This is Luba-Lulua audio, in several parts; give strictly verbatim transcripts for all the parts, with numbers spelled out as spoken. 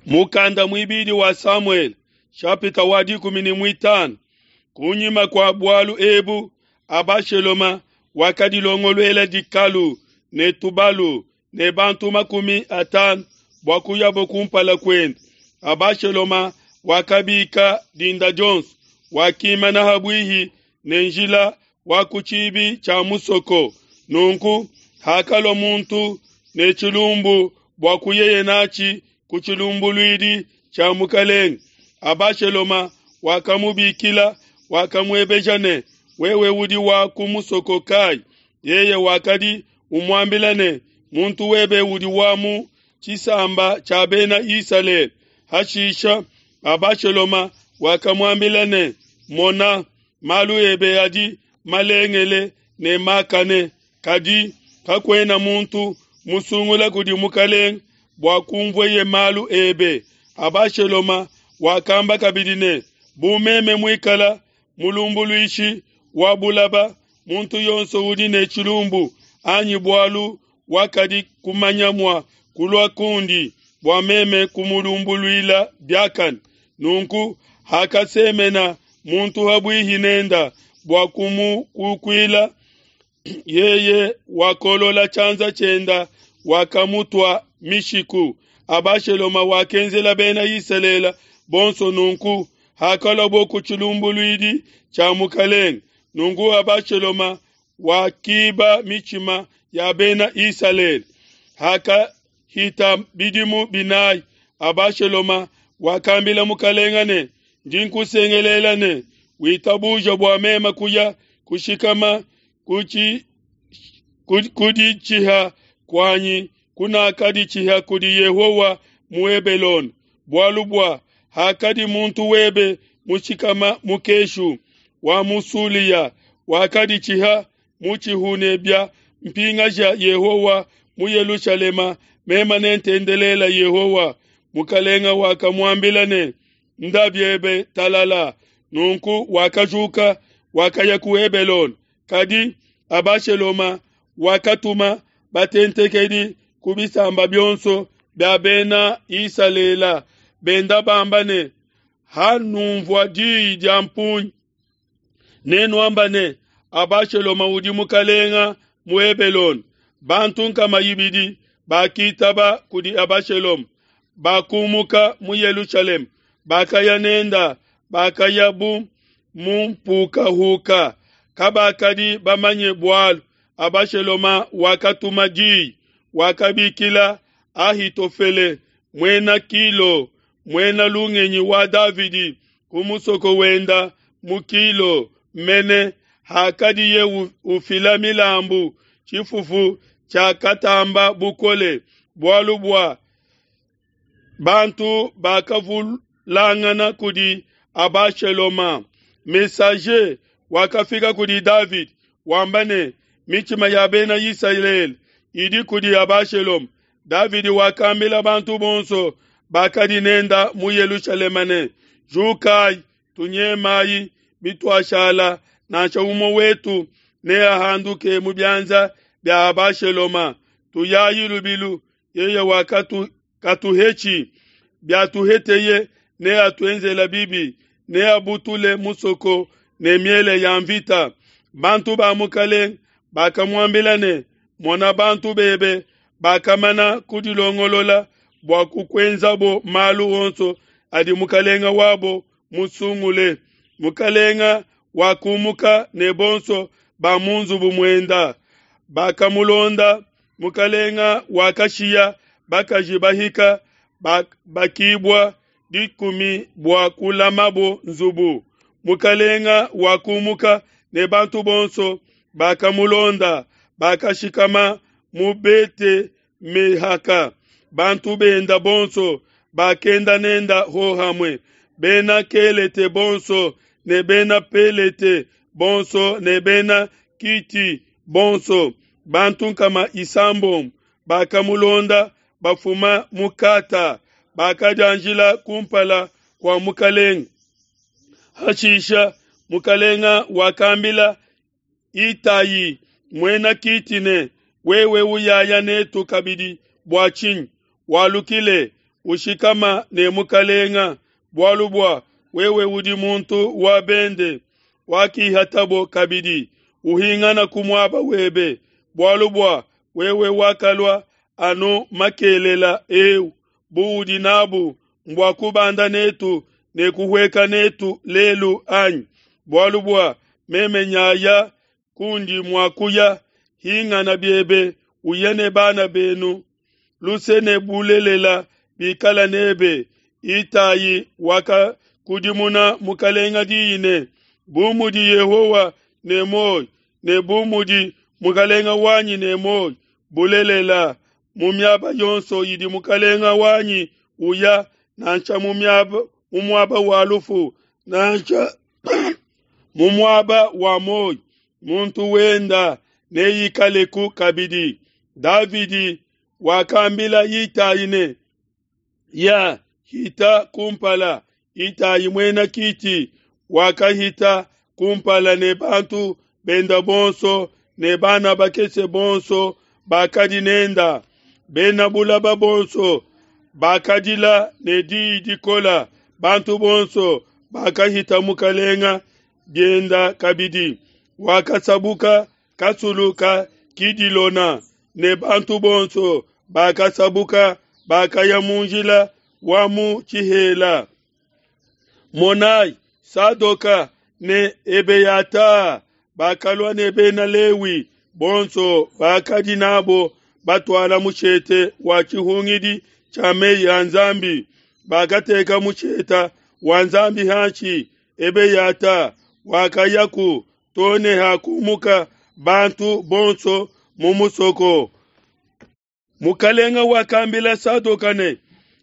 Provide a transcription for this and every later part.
Mukanda muibidi wa Samuele, chapitre wa dikumi ne muitanu. Kunyima kua bualu ebu, Abasheloma wakadilongoluela dikalu ne tubalu ne bantu makumi atanu bua kuyabo kumpala kuende. Abasheloma wakabika dinda dionso, wakimana habuihi ne njila wa ku tshibi tshia musoko. Nunku hakalua muntu ne tshilumbu bua kuyeye natshi ku tshilumbuluidi tshia mukalenge, Abasheloma wakamubikila, wakamuebeja ne, wewe udi wa ku musoko kai? Yeye wakadi umuambila ne, muntu webe udi wa mu tshisamba tshia bena Isalele. Hashisha Abasheloma wakamuambila ne, mona, malu ebe adi malengele ne makane, kadi kakuena muntu musungula kudi mukalenge bua kumvueye malu ebe. Abasheloma wakamba kabidi ne, bu meme muikala mulumbuluishi wa bulaba, muntu yonso udi ne tshilumbu anyi bualu wakadi kumanya mua kulua kundi bua meme kumulumbuluila biakane. Nunku hakasemena muntu habuihi nenda bua kumukukuila, yeye wakolola tshianza tshienda wakamutua mishiku. Abasheloma wakenzela bena Isalele bonso nunku hakaluabo ku tshilumbuluidi tshia mukalenge. Nunku Abasheloma wakiba mitshima ya bena Isalele. Hakahita bidimu binayi, Abasheloma wakambila mukalenge ne, ndi nkusengelela ne, witabuja bua meme kuya kushikama kuditshiha kuanyi kunakaditshiha kudi Yehowa mu Hebelone, bualu bua hakadi muntu webe mushikama mukeshu wa mu Sulia wakaditshiha mutshihu bia mpingaja Yehowa mu Yelushalema, meme nentendelela Yehowa. Mukalenga wakamuambila ne, nda biebe talala. Nunku wakajuka wakaya ku Hebelone. Kadi Abasheloma wakatuma batentekedi ku bisamba bionso bia bena Isalele, benda bamba ne, hanumvua diyi dia mpungi nenuamba ne, Abasheloma udi mukalenga mu Hebelone. Bantu nkama ibidi bakitaba kudi Abasheloma, bakumuka mu Yelushalema, bakaya nenda, bakaya bu mu mpukahuka, kabakadi bamanye bualu. Abasheloma wakatuma diyi, wakabikila Ahitofele muena Kilo, muena lungenyi wa Davidi, ku musoko wenda mu Kilo mene hakadiye ufila milambu. Tshifufu tshiakatamba bukole, bualu bua bantu bakavulangana kudi Abasheloma. Messager wakafika kudi David wamba ne, mitshima ya bena Isalele idi kudi Abasheloma. David wakambila bantu bonso bakadi nenda mu Yelushalema ne, jukai tunyemayi, bituashala nansha umue wetu neahanduke mu bianza bia Abasheloma. Tuyayi lubilu, yeye wakatu katuhechi, biatuheteye neatuenzela bibi, neabutule musoko ne miele ya mvita. Bantu ba mukalenge bakamuambila ne, mona bantu bebe bakamana kudilongolola bua kukuenzabo malu onso adi mukalenga wabo musungule. Mukalenga wakumuka ne bonso ba mu nzubu muenda bakamulonda. Mukalenga wakashiya bakaji bahika bakibwa dikumi bua kulamabo nzubu. Mukalenga wakumuka ne bantu bonso bakamulonda, bakashikama mu Bete Mehaka. Bantu benda bonso bakenda nenda hohamwe, bena Kelete bonso ne bena Pelete bonso ne bena Kiti bonso, bantu nkama isambombo bakamulonda bafuma mukata, bakadianjila kumpala kua mukalenga. Hashisha mukalenga wakambila Itayi muena Kiti ne, wewe uyaya netu kabidi bua tshinyi? Walukile ushikama ne mukalenga, bualu bua wewe udi muntu wa bende wakihatabo kabidi, uhingana ku muaba webe, bualu bua wewe wakalua anu makelela eu, buudi nabu mbua kubanda netu ne kuhueka netu lelu, anyi? Bualu bua meme nyaya kundi mua kuya, hingana biebe, uye ne bana benu. Luse ne bulelela bikala nebe. Itai wakakudimuna mukalenga diyi ne, bu mudi Yehowa ne muoyo ne bu mudi mukalenga wanyi ne muoyo, bulelela, mu miaba yonso idi mukalenga wanyi uya, nansha mu miaba mu muaba wa lufu, nansha mu muaba wa muoyo, muntu wenda neikaleku kabidi. Davidi wakambila Itai ne, ya hita kumpala. Itai muena Kiti wakahita kumpala ne bantu benda bonso ne bana bakese bonso bakadi nenda. Bena bulaba bonso bakadila ne diyi dikola, bantu bonso bakahita mukalenga bienda kabidi. Wakasabuka kasulu ka Kidilona ne bantu bonso bakasabuka, bakaya mu njila wa mu tshihela. Monai, Sadoka ne Ebeyata bakalua ne bena Lewi bonso bakadi nabo batuala mushete wa tshihungidi tshia meyi a Nzambi. Bakateka musheta wa Nzambi hanshi. Ebeyata wakayaku tone hakumuka bantu bonso mu musoko. Mukalenga wakambila Sadoka ne,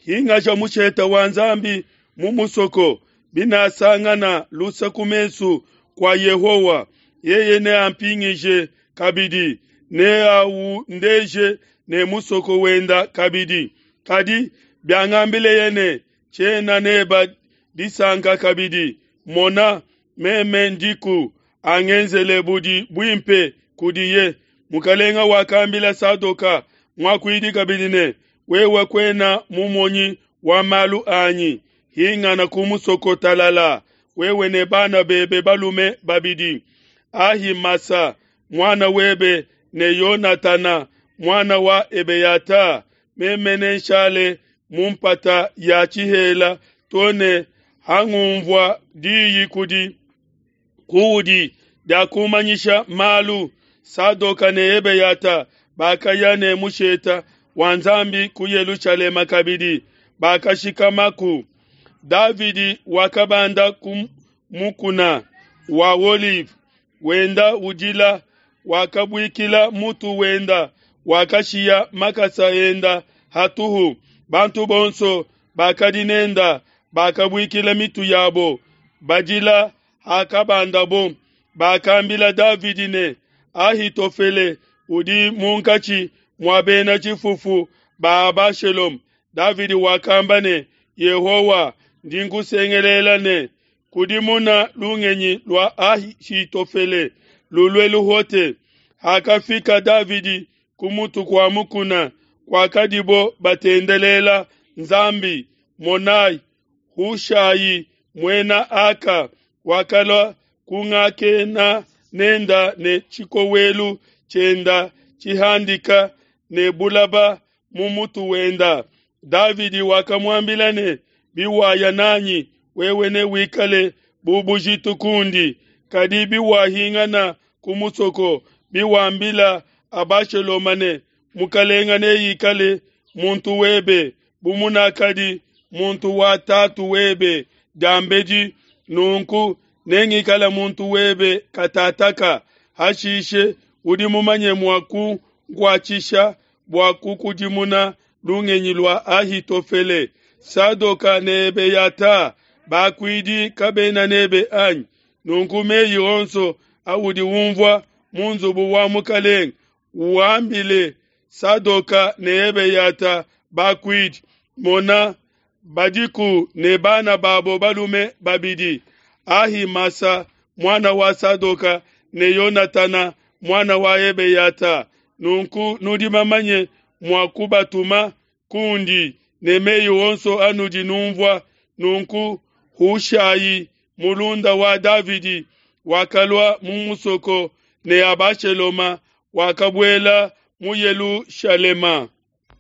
hingaja musheta wa Nzambi mu musoko, binasangana lusa ku mesu kwa Yehowa, yeye neampingije kabidi, neaundeje ne musoko wenda kabidi. Kadi biangambileye ne, tshiena neba disanka kabidi, mona, meme ndiku, angenzele budi buimpe kudiye. Mukalenga wakambila Sadoka muakuidi kabidi ne, wewe kuena mumonyi wa malu anyi, hingana ku musoko talala, wewe ne bana bebe balume babidi, Ahimasa muana webe ne Yonatana muana wa Ebeyata. Meme nenshale mu mpata ya tshihela to ne hangumvua diyi kudi kuudi dia kumanyisha malu. Sadoka ne Ebeyata bakaya ne musheta wa Nzambi ku Yelushalema kabidi, bakashikamaku. Davidi wakabanda ku mukuna wa Olive, wenda udila, wakabuikila mutu wenda, wakashiya makasa enda hatuhu. Bantu bonso bakadi nenda bakabuikila mitu yabo, badila hakabandabo. Bakambila Davidi ne, Ahitofele udi munkatshi mua bena tshifufu ba Abashalom. Davidi wakamba ne, Yehowa, ndi nkusengelela ne, kudimuna lungenyi lua Ahitofele lulue luhote. Hakafika Davidi ku mutu kua mukuna kwakadibo batendelela Nzambi, monai, Hushai muena Aka wakalua kungakena nenda ne tshikowelu tshienda tshihandika ne bulaba mu mutu wenda. Davidi wakamuambila ne, biwaya nanyi wewe ne wikale bu bujitu kundi, kadi biwahingana ku musoko, biwambila Abashaloma ne, mukalenga neikale muntu webe bu munakadi muntu wa tatu webe diambedi, nunku nengikala muntu webe katataka. Hashishe udi mumanye mua kunkuatshisha bua kukudimuna lungenyi lua Ahitofele. Sadoka ne Ebeyata bakuidi kabena nebe anyi? Nunku meyi onso audi umvua mu nzubu wa mukalenga uambile Sadoka ne Ebeyata bakuidi. Mona, badiku ne bana babo balume babidi, Ahimasa muana wa Sadoka ne Yonatana muana wa Ebeyata. Nunku nudi bamanye mua kubatuma kundi, ne mei onso anudi nunvua. Nunku Hushai, mulunda wa Davidi, wakalua mu musoko ne Abashaloma wakabuela mu Yelushalema.